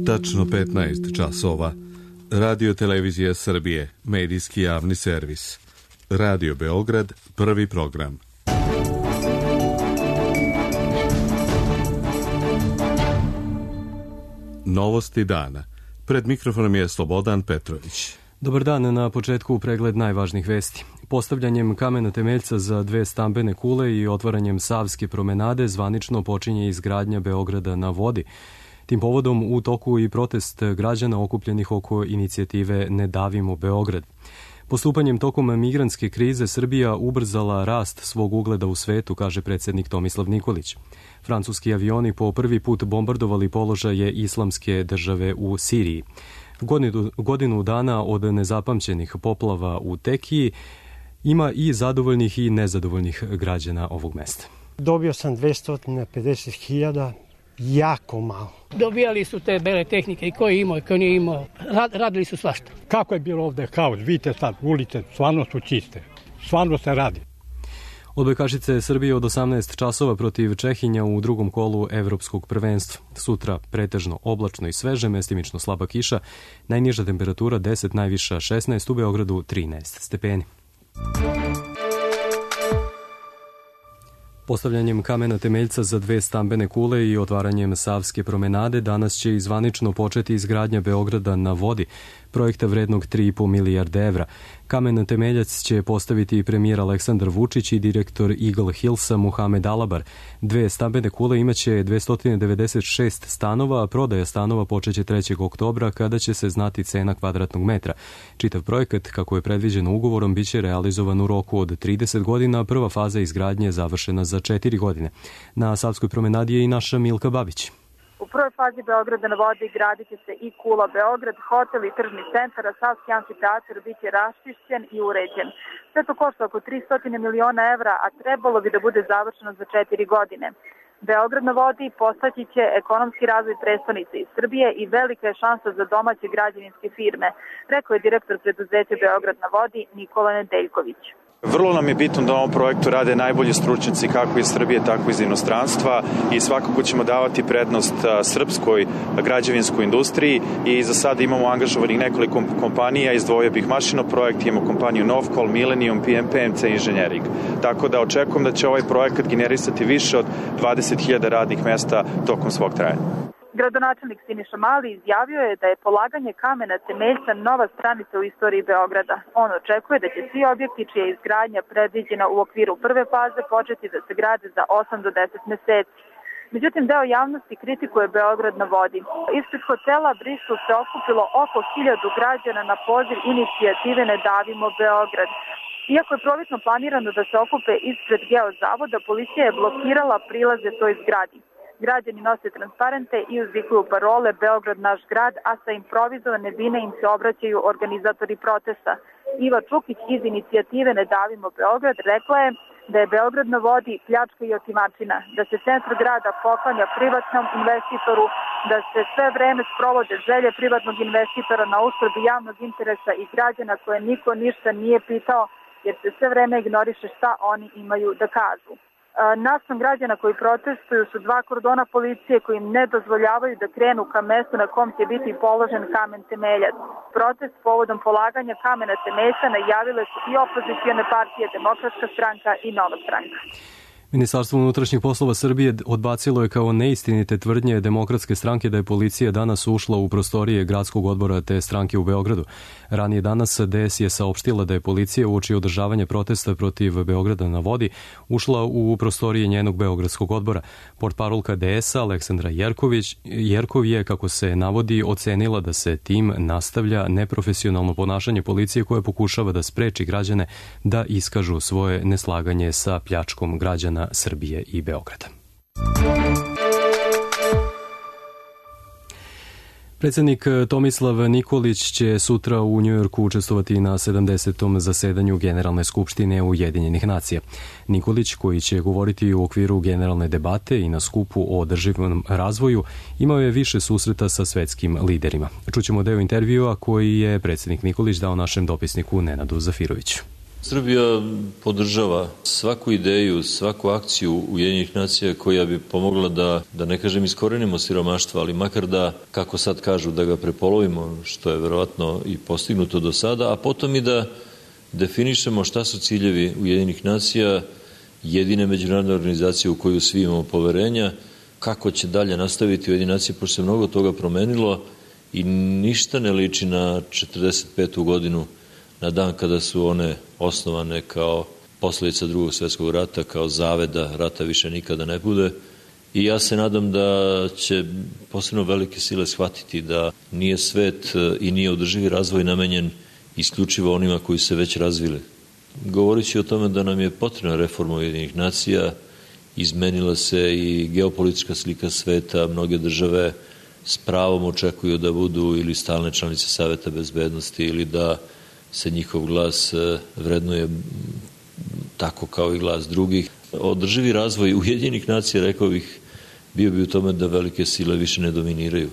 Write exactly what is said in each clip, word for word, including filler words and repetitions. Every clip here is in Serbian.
Tačno petnaest časova. Radio Televizija Srbije, medijski javni servis. Radio Beograd, prvi program. Novosti dana. Pred mikrofonom je Slobodan Petrović. Dobar dan, na početku pregled najvažnijih vesti. Postavljanjem kamena temeljca za dve stambene kule i otvaranjem Savske promenade zvanično počinje izgradnja Beograda na vodi. Tim povodom u toku i protest građana okupljenih oko inicijative Ne davimo Beograd. Postupanjem tokom migrantske krize Srbija ubrzala rast svog ugleda u svetu, kaže predsjednik Tomislav Nikolić. Francuski avioni po prvi put bombardovali položaje islamske države u Siriji. Godinu, godinu dana od nezapamćenih poplava u Tekiji ima i zadovoljnih i nezadovoljnih građana ovog mesta. Dobio sam dvesta pedeset hiljada, jako malo. Dobijali su te bele tehnike i ko je imao i ko nije imao. Rad, radili su svašta. Kako je bilo ovde haos? Vidite sad, ulice stvarno su čiste. Stvarno se radi. Odbojkašice Srbije od osamnaest časova protiv Čehinja u drugom kolu evropskog prvenstva. Sutra pretežno oblačno i sveže, mestimično slaba kiša. Najniža temperatura deset, najviša šesnaest, u Beogradu trinaest stepeni. Postavljanjem kamena temeljca za dve stambene kule i otvaranjem Savske promenade danas će izvanično početi izgradnja Beograda na vodi, projekta vrednog tri i po milijarde evra. Kamen temeljac će postaviti premijer Aleksandar Vučić i direktor Eagle Hillsa Muhamed Alabar. Dve stambene kule imaće dvesta devedeset šest stanova, a prodaja stanova počeće trećeg oktobra kada će se znati cena kvadratnog metra. Čitav projekat, kako je predviđeno ugovorom, biće realizovan u roku od trideset godina, a prva faza izgradnje je završena za četiri godine. Na Savskoj promenadi je i naša Milka Babić. U prvoj fazi Beograda na vodi gradit će se i Kula Beograd, hotel i tržni centar, a Savski amfiteatar biće raščišćen i uređen. Sve to košta oko tristo miliona evra, a trebalo bi da bude završeno za četiri godine. Beograd na vodi postaći će ekonomski razvoj prestonice iz Srbije i velika je šansa za domaće građevinske firme, rekao je direktor preduzeća Beograd na vodi Nikola Nedeljković. Vrlo nam je bitno da u ovom projektu rade najbolji stručnjaci kako iz Srbije, tako iz inostranstva i svakako ćemo davati prednost srpskoj građevinskoj industriji i za sada imamo angažovanih nekoliko kompanija, izdvojio bih Mašino projekt, imamo kompaniju Novkol, Millennium, P M C Engineering. Tako da očekujem da će ovaj projekat generisati više od dvadeset hiljada radnih mesta tokom svog trajanja. Gradonačelnik Siniša Mali izjavio je da je polaganje kamena temeljca nova stranica u istoriji Beograda. On očekuje da će svi objekti čija je izgradnja predviđena u okviru prve faze početi da se grade za osam do deset meseci. Međutim, deo javnosti kritikuje Beograd na vodi. Ispred hotela Bristol se okupilo oko hiljadu građana na poziv inicijative Ne davimo Beograd. Iako je prvobitno planirano da se okupe ispred Geozavoda, policija je blokirala prilaze toj zgradi. Građani nose transparente i uzvikuju parole Beograd naš grad, a sa improvizovane bine im se obraćaju organizatori protesta. Iva Čukić iz inicijative Ne davimo Beograd rekla je da je Beograd na vodi pljačka i otimačina, da se centar grada poklanja privatnom investitoru, da se sve vreme sprovode želje privatnog investitora na uštrb javnog interesa i građana koje niko ništa nije pitao, jer se sve vreme ignoriše šta oni imaju da kažu. Naspram građana koji protestuju su dva kordona policije koji im ne dozvoljavaju da krenu ka mestu na kom će biti položen kamen temeljac. Protest povodom polaganja kamena temeljca najavile su i opozicione partije, Demokratska stranka i Nova stranka. Ministarstvo unutrašnjih poslova Srbije odbacilo je kao neistinite tvrdnje Demokratske stranke da je policija danas ušla u prostorije gradskog odbora te stranke u Beogradu. Ranije danas D S je saopštila da je policija uoči održavanja protesta protiv Beograda na vodi ušla u prostorije njenog beogradskog odbora. Portparolka D S-a Aleksandra Jerković, Jerkov je, kako se navodi, ocenila da se tim nastavlja neprofesionalno ponašanje policije koje pokušava da spreči građane da iskažu svoje neslaganje sa pljačkom građana Srbije i Beograda. Predsjednik Tomislav Nikolić će sutra u Njujorku učestvovati na sedamdesetom zasedanju Generalne skupštine Ujedinjenih nacija. Nikolić, koji će govoriti u okviru generalne debate i na skupu o održivom razvoju, imao je više susreta sa svetskim liderima. Čućemo deo intervjua koji je predsjednik Nikolić dao našem dopisniku Nenadu Zafiroviću. Srbija podržava svaku ideju, svaku akciju Ujedinjenih nacija koja bi pomogla da, da ne kažem iskorenimo siromaštvo, ali makar da, kako sad kažu, da ga prepolovimo, što je verovatno i postignuto do sada, a potom i da definišemo šta su ciljevi Ujedinjenih nacija, jedine međunarodne organizacije u koju svi imamo poverenja, kako će dalje nastaviti Ujedinjene nacije, pošto se mnogo toga promenilo i ništa ne liči na četrdeset petu godinu, na dan kada su one osnovane kao posljedica drugog svjetskog rata, kao zaveda, rata više nikada ne bude. I ja se nadam da će posebno velike sile shvatiti da nije svet i nije održivi razvoj namenjen isključivo onima koji se već razvili. Govoreći o tome da nam je potrebna reforma Ujedinjenih nacija, izmenila se i geopolitička slika sveta, mnoge države s pravom očekuju da budu ili stalne članice Saveta bezbednosti ili da se njihov glas vrednuje tako kao i glas drugih. Održivi razvoj Ujedinjenih nacija, rekao bih, bio bi u tome da velike sile više ne dominiraju,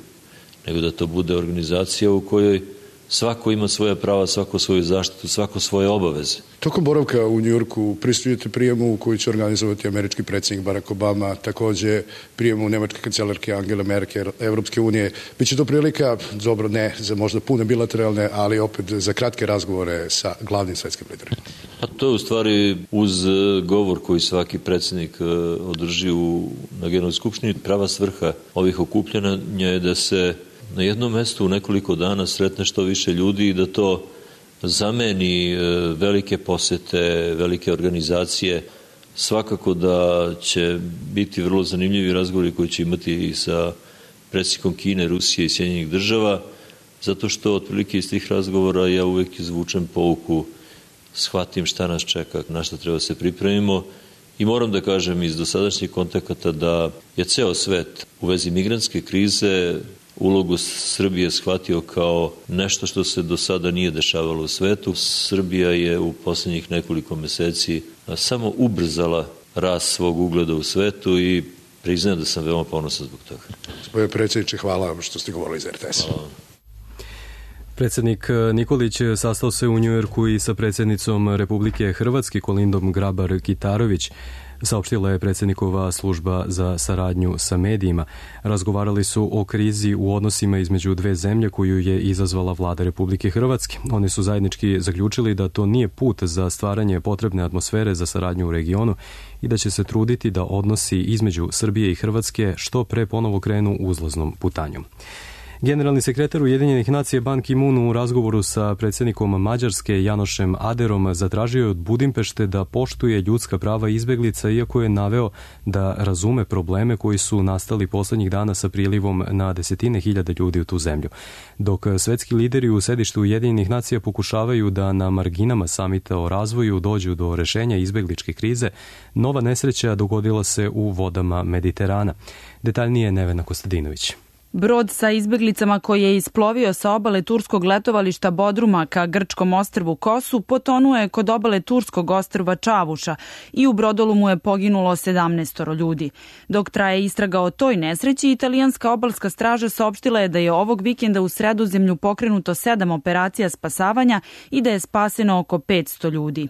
nego da to bude organizacija u kojoj svako ima svoja prava, svako svoju zaštitu, svako svoje obaveze. Tokom boravka u Njujorku prisustujete prijemu koji će organizovati američki predsjednik Barack Obama, takođe prijemu nemačke kancelarke Angele Merkel, Evropske unije. Biće to prilika, dobro ne za možda pune bilateralne, ali opet za kratke razgovore sa glavnim svetskim liderima. A to je u stvari uz govor koji svaki predsjednik održi u, na Generalnoj skupštini. Prava svrha ovih okupljanja je da se na jednom mestu u nekoliko dana sretne što više ljudi i da to zameni velike posete, velike organizacije. Svakako da će biti vrlo zanimljivi razgovori koji će imati i sa predsjednikom Kine, Rusije i Sjedinjenih država, zato što otprilike iz tih razgovora ja uvek izvučem pouku, shvatim šta nas čeka, na šta treba se pripremimo i moram da kažem iz dosadašnjih kontakata da je ceo svet u vezi migrantske krize ulogu Srbije shvatio kao nešto što se do sada nije dešavalo u svetu. Srbija je u posljednjih nekoliko meseci samo ubrzala rast svog ugleda u svetu i priznajem da sam veoma ponosan zbog toga. Gospodine predsjedniče, hvala vam što ste govorili iz er te es. Hvala vam. Predsjednik Nikolić sastao se u Njujorku i sa predsjednicom Republike Hrvatske Kolindom Grabar-Kitarović, saopštila je predsjednikova služba za saradnju sa medijima. Razgovarali su o krizi u odnosima između dve zemlje koju je izazvala vlada Republike Hrvatske. Oni su zajednički zaključili da to nije put za stvaranje potrebne atmosfere za saradnju u regionu i da će se truditi da odnosi između Srbije i Hrvatske što pre ponovo krenu uzlaznom putanjom. Generalni sekretar Ujedinjenih nacija Ban Ki-moon u razgovoru sa predsjednikom Mađarske Janošem Aderom zatražio je od Budimpešte da poštuje ljudska prava izbeglica, iako je naveo da razume probleme koji su nastali poslednjih dana sa prilivom na desetine hiljada ljudi u tu zemlju. Dok svetski lideri u sedištu Ujedinjenih nacija pokušavaju da na marginama samita o razvoju dođu do rešenja izbegličke krize, nova nesreća dogodila se u vodama Mediterana. Detaljnije Nevena Kostadinović. Brod sa izbeglicama koji je isplovio sa obale turskog letovališta Bodruma ka grčkom ostrvu Kosu potonuo je kod obale turskog ostrva Čavuša i u brodolu je poginulo sedamnaest ljudi. Dok traje istraga o toj nesreći, italijanska obalska straža saopštila je da je ovog vikenda u Sredozemlju pokrenuto sedam operacija spasavanja i da je spaseno oko petsto ljudi.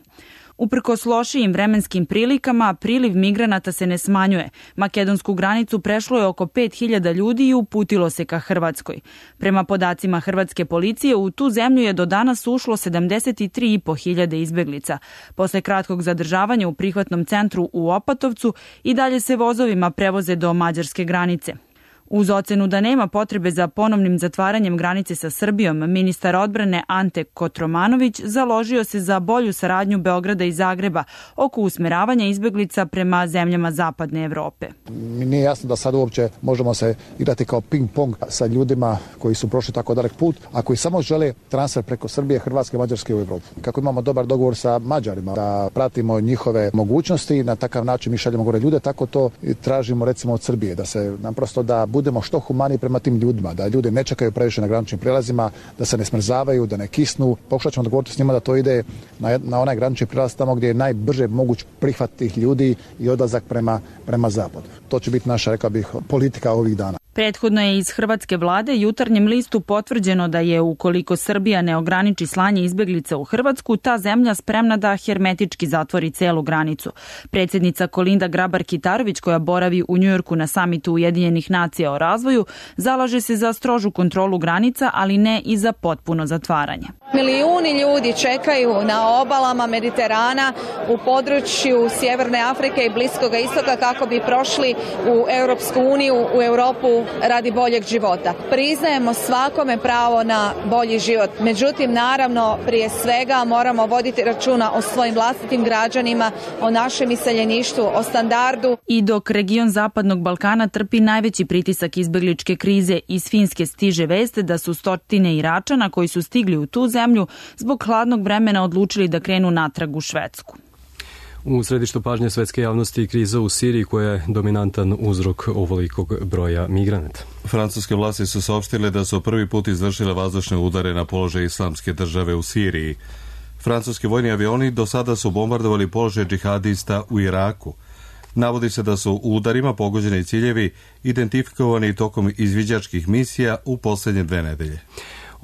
Uprkos lošijim vremenskim prilikama, priliv migranata se ne smanjuje. Makedonsku granicu prešlo je oko pet hiljada ljudi i uputilo se ka Hrvatskoj. Prema podacima hrvatske policije, u tu zemlju je do danas ušlo sedamdeset tri i po hiljade izbeglica. Posle kratkog zadržavanja u prihvatnom centru u Opatovcu i dalje se vozovima prevoze do mađarske granice. Uz ocenu da nema potrebe za ponovnim zatvaranjem granice sa Srbijom, ministar odbrane Ante Kotromanović založio se za bolju saradnju Beograda i Zagreba oko usmeravanja izbeglica prema zemljama zapadne Evrope. Mi nije jasno da sad uopće možemo se igrati kao ping-pong sa ljudima koji su prošli tako dalek put, a koji samo žele transfer preko Srbije, Hrvatske, Mađarske u Evropu. Kako imamo dobar dogovor sa Mađarima, da pratimo njihove mogućnosti i na takav način mi šaljemo gore ljude, tako to tražimo recimo od Srbije, da se naprosto da budemo što humaniji prema tim ljudima, da ljudi ne čekaju previše na graničnim prelazima, da se ne smrzavaju, da ne kisnu. Pokušat ćemo dogovoriti s njima da to ide na, na onaj granični prelaz tamo gdje je najbrže moguć prihvat tih ljudi i odlazak prema, prema zapadu. To će biti naša, rekao bih, politika ovih dana. Prethodno je iz hrvatske vlade Jutarnjem listu potvrđeno da je ukoliko Srbija ne ograniči slanje izbeglica u Hrvatsku, ta zemlja spremna da hermetički zatvori celu granicu. Predsjednica Kolinda Grabar-Kitarović, koja boravi u Njujorku na samitu Ujedinjenih nacija o razvoju, zalaže se za strožu kontrolu granica, ali ne i za potpuno zatvaranje. Milijuni ljudi čekaju na obalama Mediterana u području Sjeverne Afrike i Bliskoga istoka kako bi prošli u Europsku uniju, u Europu radi boljeg života. Priznajemo svakome pravo na bolji život. Međutim, naravno, prije svega moramo voditi računa o svojim vlastitim građanima, o našem iseljeništvu, o standardu. I dok region Zapadnog Balkana trpi najveći pritisak izbegličke krize, iz Finske stiže veste da su stotine Iračana koji su stigli u tu zemlju zbog hladnog vremena odlučili da krenu natrag u Švedsku. U središtu pažnje svetske javnosti kriza u Siriji, koja je dominantan uzrok ovolikog broja migranata. Francuske vlasti su saopštile da su prvi put izvršile vazdušne udare na položaj Islamske države u Siriji. Francuski vojni avioni do sada su bombardovali položaj džihadista u Iraku. Navodi se da su u udarima pogođeni ciljevi identifikovani tokom izviđačkih misija u posljednje dve nedelje.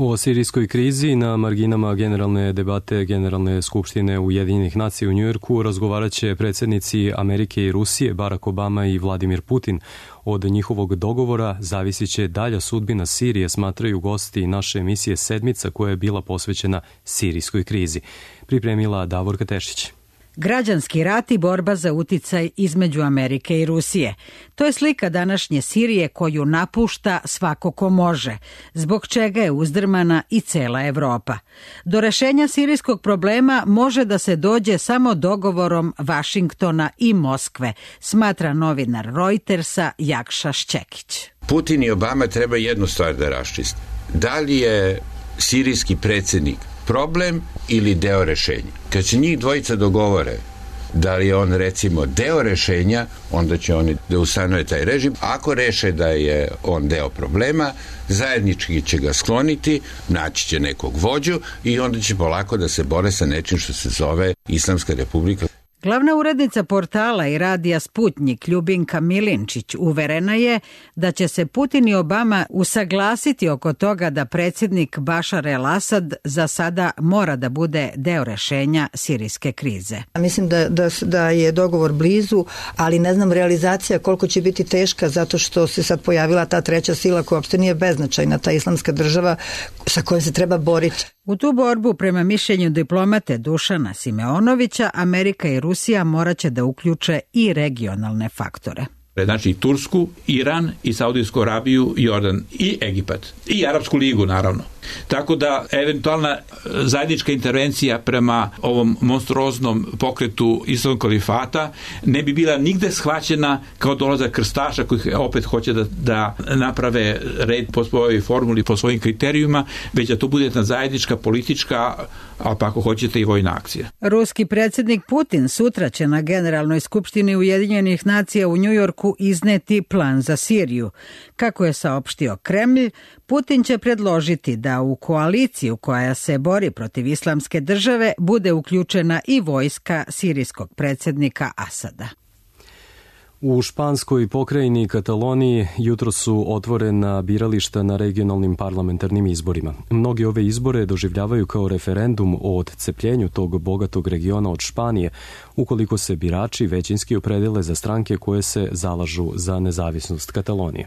O sirijskoj krizi na marginama generalne debate Generalne skupštine Ujedinjenih nacija u Njujorku razgovarat će predsjednici Amerike i Rusije Barack Obama i Vladimir Putin. Od njihovog dogovora zavisit će dalja sudbina Sirije, smatraju gosti naše emisije Sedmica, koja je bila posvećena sirijskoj krizi. Pripremila Davorka Tešić. Građanski rat i borba za uticaj između Amerike i Rusije. To je slika današnje Sirije koju napušta svako ko može, zbog čega je uzdrmana i cela Evropa. Do rešenja sirijskog problema može da se dođe samo dogovorom Vašingtona i Moskve, smatra novinar Reutersa Jakša Šćekić. Putin i Obama treba jednu stvar da raščiste. Da li je sirijski predsjednik problem ili deo rešenja? Kad se njih dvojica dogovore da li je on recimo deo rešenja, onda će oni da ustanove taj režim. Ako reše da je on deo problema, zajednički će ga skloniti, naći će nekog vođu i onda će polako da se bore sa nečim što se zove Islamska republika. Glavna urednica portala i radija Sputnjik Ljubinka Milinčić uverena je da će se Putin i Obama usaglasiti oko toga da predsjednik Bašar el-Asad za sada mora da bude deo rešenja sirijske krize. Mislim da, da, da je dogovor blizu, ali ne znam realizacija koliko će biti teška zato što se sad pojavila ta treća sila koja uopšte nije beznačajna, ta Islamska država sa kojom se treba boriti. U tu borbu, prema mišljenju diplomate Dušana Simeonovića, Amerika i Rusija morat će da uključe i regionalne faktore. Znači Tursku, Iran i Saudijsku Arabiju, Jordan i Egipat i Arapsku ligu naravno. Tako da eventualna zajednička intervencija prema ovom monstruoznom pokretu Islamskog kalifata ne bi bila nigde shvaćena kao dolazak krstaša koji opet hoće da, da naprave red po svojoj formuli, po svojim kriterijuma, već da to bude jedna zajednička politička, a pa ako hoćete i vojna akcija. Ruski predsjednik Putin sutra će na Generalnoj skupštini Ujedinjenih nacija u Njujorku izneti plan za Siriju. Kako je saopštio Kremlj, Putin će predložiti da u koaliciju koja se bori protiv Islamske države bude uključena i vojska sirijskog predsjednika Asada. U španskoj pokrajini Kataloniji jutro su otvorena birališta na regionalnim parlamentarnim izborima. Mnogi ove izbore doživljavaju kao referendum o odcepljenju tog bogatog regiona od Španije, ukoliko se birači većinski opredele za stranke koje se zalažu za nezavisnost Katalonije.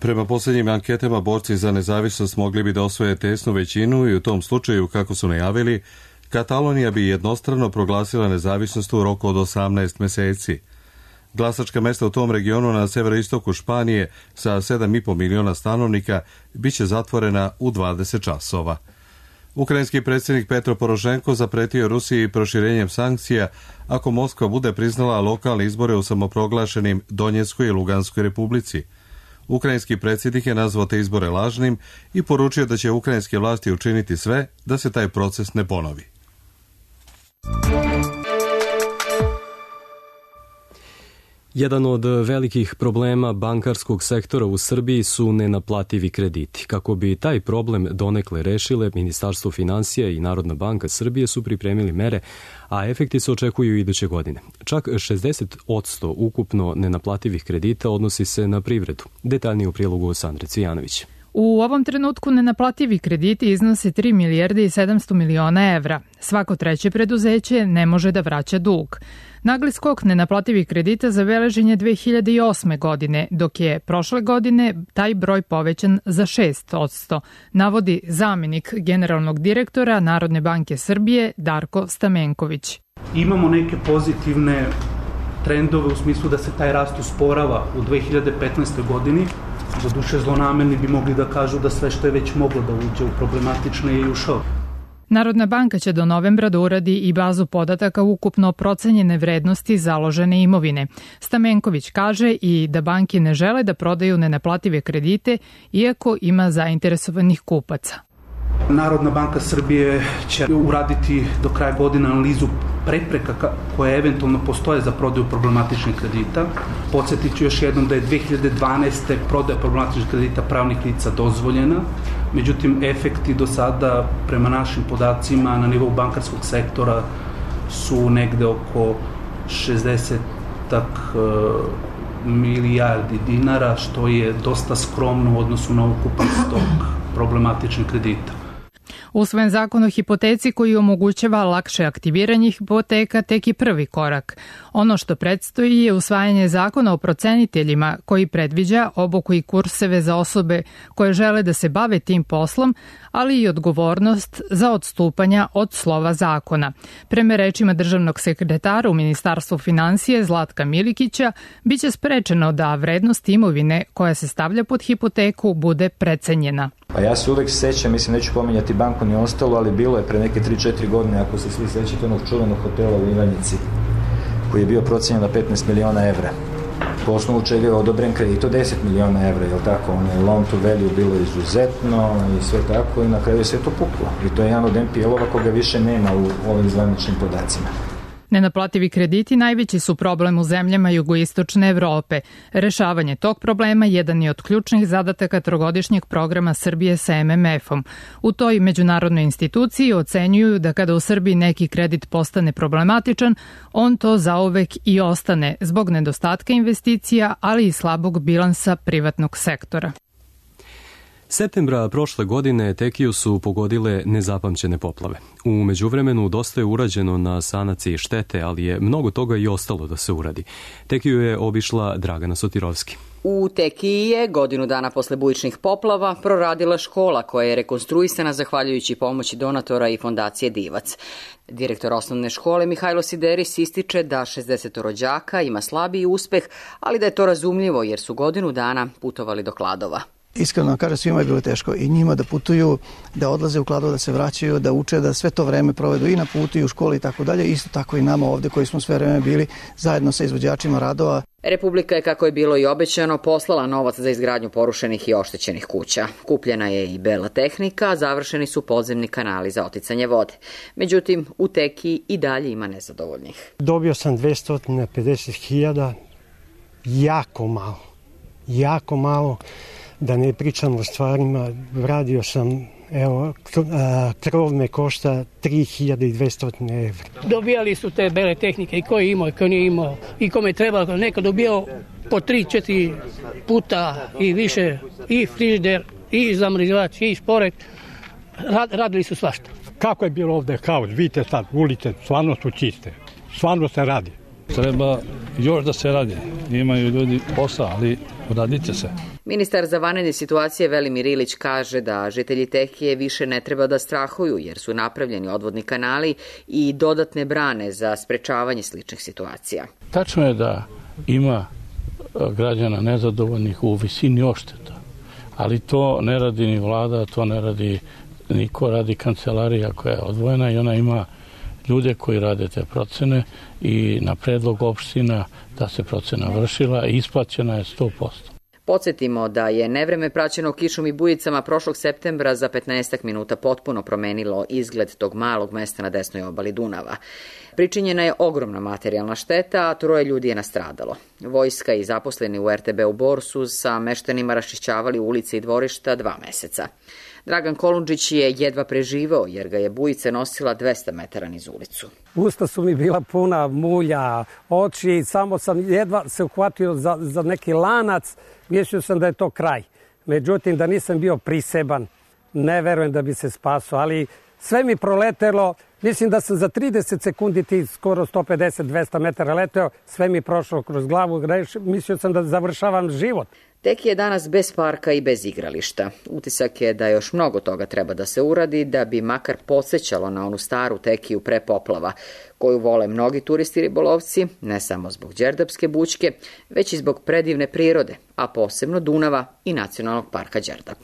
Prema posljednjim anketama, borci za nezavisnost mogli bi da osvoje tesnu većinu i u tom slučaju, kako su najavili, Katalonija bi jednostrano proglasila nezavisnost u roku od osamnaest meseci. Glasačka mesta u tom regionu na severoistoku Španije sa sedam i po miliona stanovnika biće zatvorena u dvadeset časova. Ukrajinski predsjednik Petro Porošenko zapretio Rusiji proširenjem sankcija ako Moskva bude priznala lokalne izbore u samoproglašenim Donjeckoj i Luganskoj republici. Ukrajinski predsjednik je nazvao te izbore lažnim i poručio da će ukrajinske vlasti učiniti sve da se taj proces ne ponovi. Jedan od velikih problema bankarskog sektora u Srbiji su nenaplativi krediti. Kako bi taj problem donekle rešile, Ministarstvo finansija i Narodna banka Srbije su pripremili mere, a efekti se očekuju iduće godine. Čak šezdeset posto ukupno nenaplativih kredita odnosi se na privredu. Detaljnije u prilogu Sandre Cvijanović. U ovom trenutku nenaplativi krediti iznose tri milijarde i sedamsto miliona evra. Svako treće preduzeće ne može da vraća dug. Nagli skok nenaplativih kredita zabeležen je dve hiljade osme. godine, dok je prošle godine taj broj povećan za šest posto, navodi zamenik generalnog direktora Narodne banke Srbije Darko Stamenković. Imamo neke pozitivne trendove u smislu da se taj rast usporava u dve hiljade petnaestoj. godini. Za duše zlonamerni bi mogli da kažu da sve što je već moglo da uđe u problematične je i ušao. Narodna banka će do novembra da uradi i bazu podataka ukupno procenjene vrednosti založene imovine. Stamenković kaže i da banke ne žele da prodaju nenaplative kredite, iako ima zainteresovanih kupaca. Narodna banka Srbije će uraditi do kraja godine analizu prepreka koje eventualno postoje za prodaju problematičnih kredita. Podsjetit ću još jednom da je dve hiljade dvanaeste. prodaja problematičnih kredita pravnih lica dozvoljena, međutim efekti do sada prema našim podacima na nivou bankarskog sektora su negde oko šezdeset milijardi dinara, što je dosta skromno u odnosu na ukupan stok problematičnih kredita. Usvojen zakon o hipoteci koji omogućava lakše aktiviranje hipoteka tek je prvi korak. Ono što predstoji je usvajanje zakona o proceniteljima koji predviđa obuku i kurseve za osobe koje žele da se bave tim poslom, ali i odgovornost za odstupanja od slova zakona. Prema rečima državnog sekretara u Ministarstvu finansije Zlatka Milikića, biće sprečeno da vrednost imovine koja se stavlja pod hipoteku bude precenjena. Pa ja se uvek sećam, mislim neću pominjati banku ni ostalo, ali bilo je pre neke tri četiri godine, ako se svi sećate, onog čuvenog hotela u Ivanjici, koji je bio procenjen na petnaest miliona evra. Po osnovu čega je odobren kredit od deset miliona evra, jel tako? Ono je loan to value bilo izuzetno i sve tako i na kraju je sve to puklo. I to je jedan od en pe el-ova koga više nema u ovim zvaničnim podacima. Nenaplativi krediti najveći su problem u zemljama jugoistočne Evrope. Rešavanje tog problema jedan je od ključnih zadataka trogodišnjeg programa Srbije sa em em efom. U toj međunarodnoj instituciji ocenjuju da kada u Srbiji neki kredit postane problematičan, on to zauvek i ostane zbog nedostatka investicija, ali i slabog bilansa privatnog sektora. Septembra prošle godine Tekiju su pogodile nezapamćene poplave. U međuvremenu dosta je urađeno na sanaciji štete, ali je mnogo toga i ostalo da se uradi. Tekiju je obišla Dragana Sotirovski. U Tekiji je godinu dana posle bujičnih poplava proradila škola koja je rekonstruisana zahvaljujući pomoći donatora i fondacije Divac. Direktor osnovne škole Mihajlo Sideris ističe da šezdeset rođaka ima slabiji uspeh, ali da je to razumljivo jer su godinu dana putovali do Kladova. Iskreno vam kažem, svima je bilo teško i njima da putuju, da odlaze u Kladovo, da se vraćaju, da uče, da sve to vreme provedu i na putu i u školi i tako dalje. Isto tako i nama ovde koji smo sve vreme bili zajedno sa izvođačima radova. Republika je, kako je bilo i obećano, poslala novac za izgradnju porušenih i oštećenih kuća. Kupljena je i bela tehnika, a završeni su podzemni kanali za oticanje vode. Međutim, u Tekiji i dalje ima nezadovoljnih. Dobio sam dvesta pedeset hiljada, jako malo, jako malo. Da ne pričam o stvarima, radio sam, evo, krov me košta tri hiljade dvesta evra. Dobijali su te bele tehnike i ko je imao i ko nije imao i kome je trebalo, neko dobijao po tri, četiri puta i više, i frižider, i zamrzivač, i šporet, Rad, radili su svašta. Kako je bilo ovde haos, vidite sad, ulice stvarno su čiste, stvarno se radi. Treba još da se radi, imaju ljudi posla, ali radite se. Ministar za vanredne situacije Velimir Ilić kaže da žitelji Tekije više ne treba da strahuju jer su napravljeni odvodni kanali i dodatne brane za sprečavanje sličnih situacija. Tačno je da ima građana nezadovoljnih u visini ošteta, ali to ne radi ni vlada, to ne radi niko, radi kancelarija koja je odvojena i ona ima ljude koji rade te procene i na predlog opština da se procena vršila i isplaćena je sto posto. Podsjetimo da je nevreme praćeno kišom i bujicama prošlog septembra za petnaestak minuta potpuno promenilo izgled tog malog mesta na desnoj obali Dunava. Pričinjena je ogromna materijalna šteta, a troje ljudi je nastradalo. Vojska i zaposleni u er te be u Bor su sa meštanima raščišćavali ulice i dvorišta dva meseca. Dragan Kolundžić je jedva preživao jer ga je bujica nosila dvesta metara niz ulicu. Usta su mi bila puna mulja, oči, samo sam jedva se uhvatio za, za neki lanac, mislio sam da je to kraj. Međutim, da nisam bio priseban, ne verujem da bi se spasao, ali sve mi proletelo. Mislim da sam za trideset sekundi ti skoro sto pedeset do dvesta metara leteo, sve mi prošlo kroz glavu, mislio sam da završavam život. Teki je danas bez parka i bez igrališta. Utisak je da još mnogo toga treba da se uradi da bi makar podsjećalo na onu staru Tekiju pre poplava, koju vole mnogi turisti ribolovci, ne samo zbog Đerdapske bućke, već i zbog predivne prirode, a posebno Dunava i Nacionalnog parka Đerdap.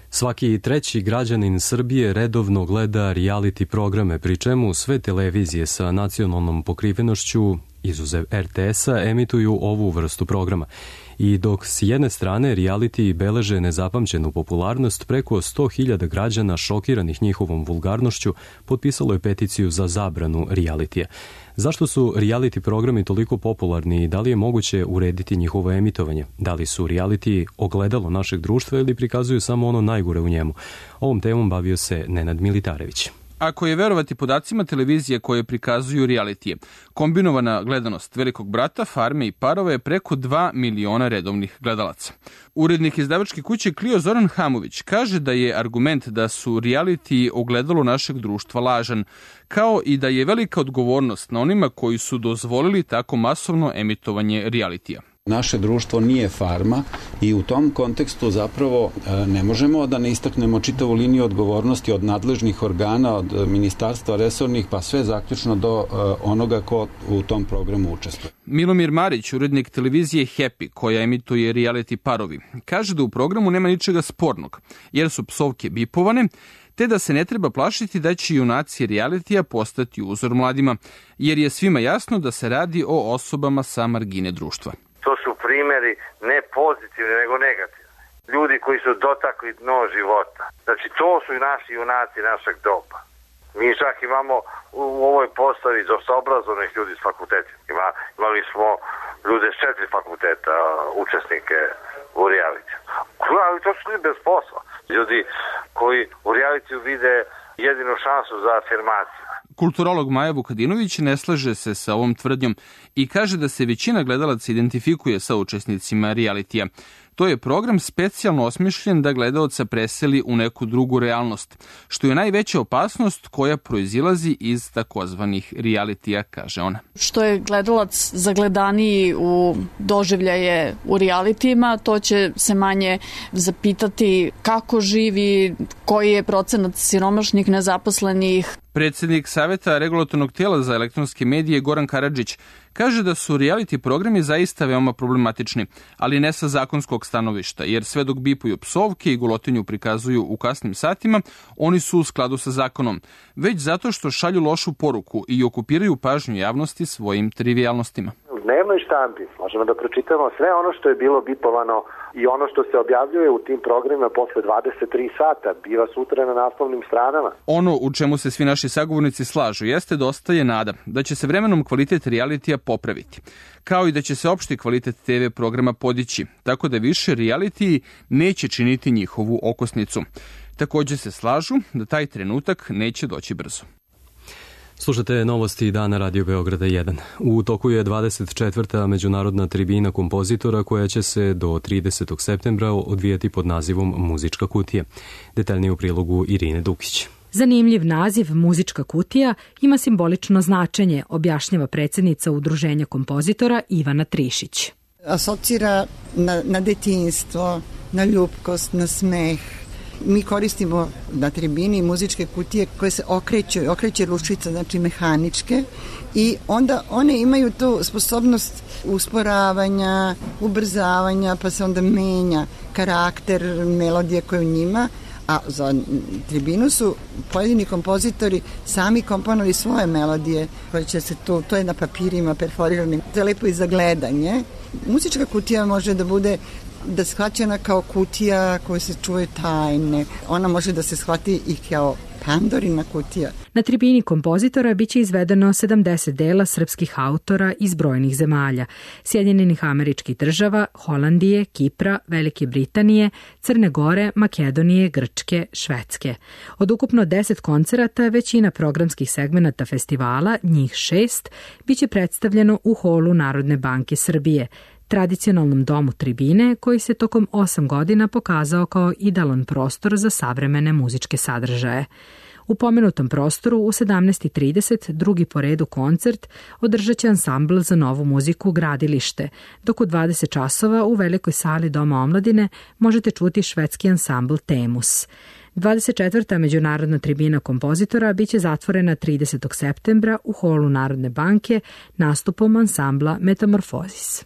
Svaki treći građanin Srbije redovno gleda reality programe, pri čemu sve televizije sa nacionalnom pokrivenošću, izuzev er te esa, emituju ovu vrstu programa. I dok s jedne strane reality beleže nezapamćenu popularnost, preko sto hiljada građana šokiranih njihovom vulgarnošću potpisalo je peticiju za zabranu realitija. Zašto su reality programi toliko popularni i da li je moguće urediti njihovo emitovanje? Da li su reality ogledalo našeg društva ili prikazuju samo ono najgore u njemu? Ovom temom bavio se Nenad Militarević. Ako je verovati podacima televizije koje prikazuju realitije, kombinovana gledanost Velikog brata, Farme i Parova je preko dva miliona redovnih gledalaca. Urednik izdavačke kuće Clio Zoran Hamović kaže da je argument da su reality ogledalo našeg društva lažan, kao i da je velika odgovornost na onima koji su dozvolili tako masovno emitovanje realitija. Naše društvo nije farma i u tom kontekstu zapravo ne možemo da ne istaknemo čitavu liniju odgovornosti od nadležnih organa, od ministarstva resornih, pa sve zaključno do onoga ko u tom programu učestvuje. Milomir Marić, urednik televizije Happy, koja emituje reality Parovi, kaže da u programu nema ničega spornog, jer su psovke bipovane, te da se ne treba plašiti da će junaci realitija postati uzor mladima, jer je svima jasno da se radi o osobama sa margine društva. To su primjeri ne pozitivni, nego negativni. Ljudi koji su dotakli dno života. Znači, to su i naši junaci našeg doba. Mi čak imamo u ovoj postavi dosta obrazovnih ljudi s fakultetima. Ima, imali smo ljude s četiri fakulteta, učesnike u realitiju. Ali to su ljudi bez posla. Ljudi koji u realitiju vide jedinu šansu za afirmaciju. Kulturolog Maja Vukadinović ne slaže se sa ovom tvrdnjom i kaže da se većina gledalaca identifikuje sa učesnicima realitija. To je program specijalno osmišljen da gledaoca preseli u neku drugu realnost, što je najveća opasnost koja proizilazi iz takozvanih realitija, kaže ona. Što je gledalac zagledaniji u doživljaje u realitijima, to će se manje zapitati kako živi, koji je procenat siromašnih, nezaposlenih. Predsednik Saveta regulatornog tela za elektronske medije Goran Karadžić kaže da su reality programi zaista veoma problematični, ali ne sa zakonskog stanovišta, jer sve dok bipuju psovke i golotinju prikazuju u kasnim satima, oni su u skladu sa zakonom, već zato što šalju lošu poruku i okupiraju pažnju javnosti svojim trivijalnostima. U dnevnoj štampi možemo da pročitamo sve ono što je bilo bipovano i ono što se objavljuje u tim programima posle dvadeset tri sata, biva sutra na naslovnim stranama. Ono u čemu se svi naši sagovornici slažu jeste da ostaje nada da će se vremenom kvalitet realitija popraviti, kao i da će se opšti kvalitet te ve programa podići, tako da više realitiji neće činiti njihovu okosnicu. Takođe se slažu da taj trenutak neće doći brzo. Slušate novosti dana Radio Beograda jedan. U toku je dvadeset četvrta međunarodna tribina kompozitora koja će se do tridesetog septembra odvijati pod nazivom Muzička kutija. Detaljnije u prilogu Irine Dukić. Zanimljiv naziv Muzička kutija ima simbolično značenje, objašnjava predsjednica Udruženja kompozitora Ivana Trišić. Asocira na, na detinjstvo, na ljubkost, na smeh. Mi koristimo na tribini muzičke kutije koje se okreću, okreće ručica, znači mehaničke, i onda one imaju tu sposobnost usporavanja, ubrzavanja, pa se onda menja karakter melodije koja je u njima, A za tribinu su pojedini kompozitori sami komponovali svoje melodije koje će se tu, to je na papirima perforiranim, to je lepo i za gledanje. Muzička kutija može da bude da shvaćena kao kutija koja se čuje tajne. Ona može da se shvati i kao Pandorina kutija. Na tribini kompozitora biće izvedeno sedamdeset dela srpskih autora iz brojnih zemalja, Sjedinjenih Američkih Država, Holandije, Kipra, Velike Britanije, Crne Gore, Makedonije, Grčke, Švedske. Od ukupno deset koncerata, većina programskih segmenata festivala, njih šest, biće predstavljeno u holu Narodne banke Srbije, tradicionalnom domu tribine koji se tokom osam godina pokazao kao idealan prostor za savremene muzičke sadržaje. U pomenutom prostoru u sedamnaest i trideset drugi po redu koncert održat će ansambl za novu muziku Gradilište, dok u dvadeset časova u velikoj sali Doma omladine možete čuti švedski ansambl Temus. dvadeset četvrta međunarodna tribina kompozitora biće zatvorena tridesetog septembra u holu Narodne banke nastupom ansambla Metamorfozis.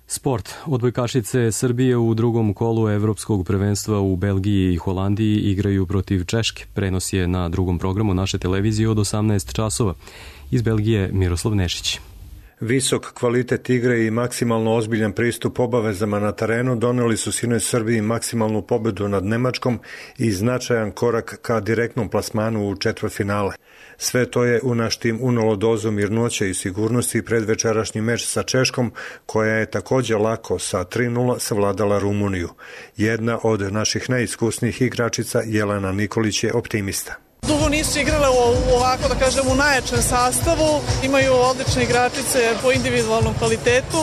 Sport. Odbojkašice Srbije u drugom kolu evropskog prvenstva u Belgiji i Holandiji igraju protiv Češke. Prenos je na drugom programu naše televizije od osamnaest časova. Iz Belgije Miroslav Nešić. Visok kvalitet igre i maksimalno ozbiljan pristup obavezama na terenu doneli su sinoć Srbiji maksimalnu pobedu nad Nemačkom i značajan korak ka direktnom plasmanu u četvrtfinale. Sve to je u naš tim unalo dozu mirnoće i sigurnosti pred večerašnji meč sa Češkom, koja je također lako sa tri nula savladala Rumuniju. Jedna od naših najiskusnijih igračica, Jelena Nikolić, je optimista. Dugo nisu igrale u ovako, da kažem, u najjačem sastavu. Imaju odlične igračice po individualnom kvalitetu,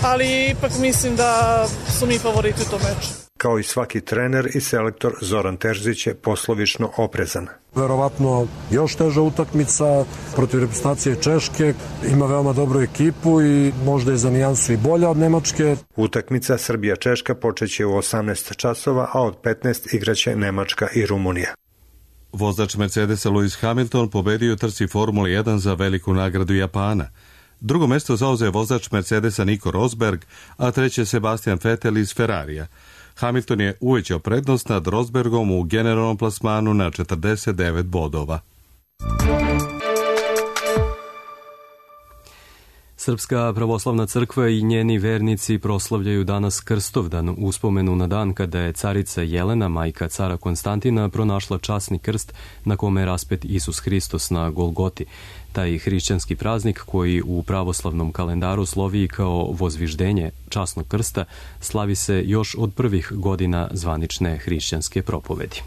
ali ipak mislim da su mi favoriti u tom meču. Kao i svaki trener i selektor, Zoran Terzić je poslovično oprezan. Verovatno još teža utakmica protiv reprezentacije Češke, ima veoma dobru ekipu i možda je za nijansu i bolja od Nemačke. Utakmica Srbija-Češka počeće u osamnaest časova, a od petnaest igraće Nemačka i Rumunija. Vozač Mercedesa Lewis Hamilton pobedio u trci Formule jedan za veliku nagradu Japana. Drugo mesto zauzeo je vozač Mercedesa Nico Rosberg, a treće Sebastian Vettel iz Ferrarija. Hamilton je uvećao prednost nad Rosbergom u generalnom plasmanu na četrdeset devet bodova. Srpska pravoslavna crkva i njeni vernici proslavljaju danas Krstovdan, uspomenu na dan kada je carica Jelena, majka cara Konstantina, pronašla časni krst na kome je raspet Isus Hristos na Golgoti. Taj hrišćanski praznik, koji u pravoslavnom kalendaru slovi kao vozviždenje časnog krsta, slavi se još od prvih godina zvanične hrišćanske propovedi.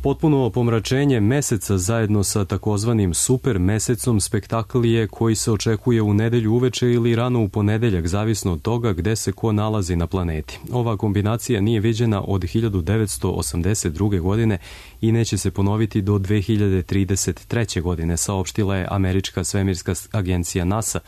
Potpuno pomračenje meseca zajedno sa takozvanim super mesecom spektakl je koji se očekuje u nedelju uveče ili rano u ponedeljak, zavisno od toga gde se ko nalazi na planeti. Ova kombinacija nije viđena od hiljadu devetsto osamdeset druge. godine i neće se ponoviti do dve hiljade trideset treće. godine, saopštila je američka svemirska agencija NASA.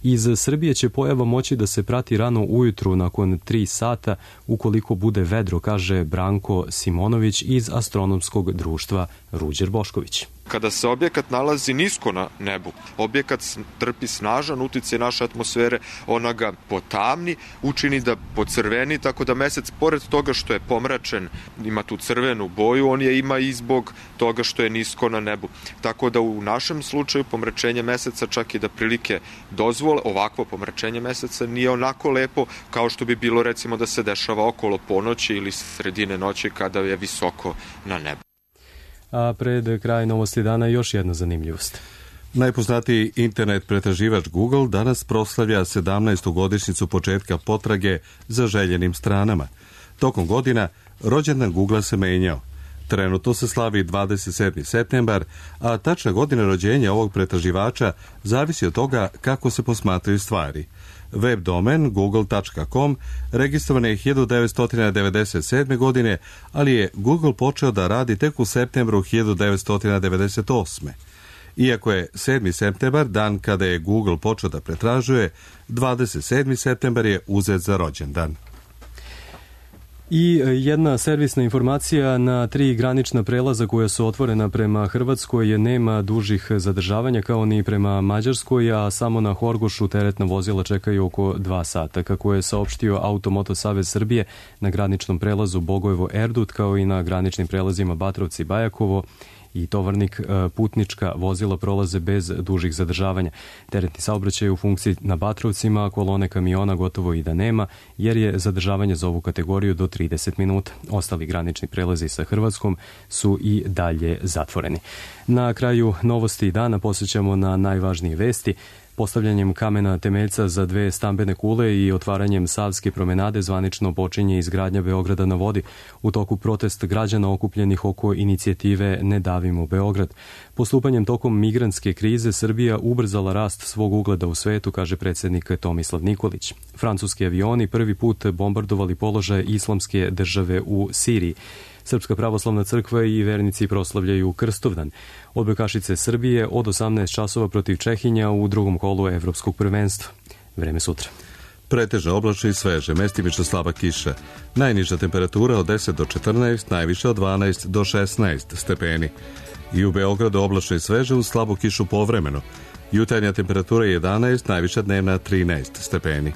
Iz Srbije će pojava moći da se prati rano ujutru nakon tri sata ukoliko bude vedro, kaže Branko Simonović iz astronomskog društva Ruđer Bošković. Kada se objekat nalazi nisko na nebu, objekat trpi snažan uticaj naše atmosfere, ona ga potamni, učini da pocrveni, tako da mesec, pored toga što je pomračen, ima tu crvenu boju, on je ima i zbog toga što je nisko na nebu. Tako da u našem slučaju pomračenje meseca, čak i da prilike dozvole, ovakvo pomračenje meseca nije onako lepo kao što bi bilo recimo da se dešava okolo ponoći ili sredine noći kada je visoko na nebu. A pred kraj novosti dana još jedna zanimljivost. Najpoznatiji internet pretraživač Google danas proslavlja sedamnaestu godišnjicu početka potrage za željenim stranama. Tokom godina rođendan Googlea se menjao. Trenutno se slavi dvadeset sedmi septembar, a tačna godina rođenja ovog pretraživača zavisi od toga kako se posmatraju stvari. Web domen google tačka com registrovan je hiljadu devetsto devedeset sedme. godine, ali je Google počeo da radi tek u septembru hiljadu devetsto devedeset osme. Iako je sedmi septembar dan kada je Google počeo da pretražuje, dvadeset sedmi septembar je uzet za rođendan. I jedna servisna informacija, na tri granična prelaza koja su otvorena prema Hrvatskoj nema dužih zadržavanja kao ni prema Mađarskoj, a samo na Horgošu teretna vozila čekaju oko dva sata. Kako je saopštio Automoto Savez Srbije, na graničnom prelazu Bogojevo-Erdut kao i na graničnim prelazima Batrovci-Bajakovo i Tovarnik putnička vozila prolaze bez dužih zadržavanja. Teretni saobraćaj u funkciji na Batrovcima, a kolone kamiona gotovo i da nema, jer je zadržavanje za ovu kategoriju do trideset minuta. Ostali granični prelazi sa Hrvatskom su i dalje zatvoreni. Na kraju novosti dana posjećamo na najvažnije vesti. Postavljanjem kamena temeljca za dve stambene kule i otvaranjem Savske promenade zvanično počinje izgradnja Beograda na vodi. U toku protest građana okupljenih oko inicijative Ne davimo Beograd. Postupanjem tokom migrantske krize Srbija ubrzala rast svog ugleda u svetu, kaže predsjednik Tomislav Nikolić. Francuski avioni prvi put bombardovali položaje islamske države u Siriji. Srpska pravoslavna crkva i vernici proslavljaju Krstovdan. Odbojkašice Srbije od osamnaest časova protiv Čehinja u drugom kolu evropskog prvenstva. Vreme sutra. Pretežno oblačno i sveže, mestimično slaba kiša. Najniža temperatura od deset do četrnaest, najviše od dvanaest do šesnaest stepeni. I u Beogradu oblačno i sveže uz slabu kišu povremeno. Jutarnja temperatura je jedanaest, najviša dnevna trinaest stepeni.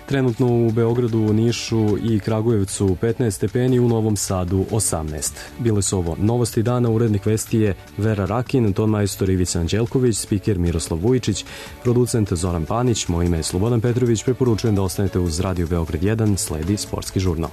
Trenutno u Beogradu, Nišu i Kragujevcu petnaest stepeni, u Novom Sadu osamnaest. Bile su ovo novosti dana, urednik vesti je Vera Rakin, ton majstor Ivica Anđelković, spiker Miroslav Vujičić, producent Zoran Panić, moje ime je Slobodan Petrović, preporučujem da ostanete uz Radio Beograd jedan, sledi sportski žurnal.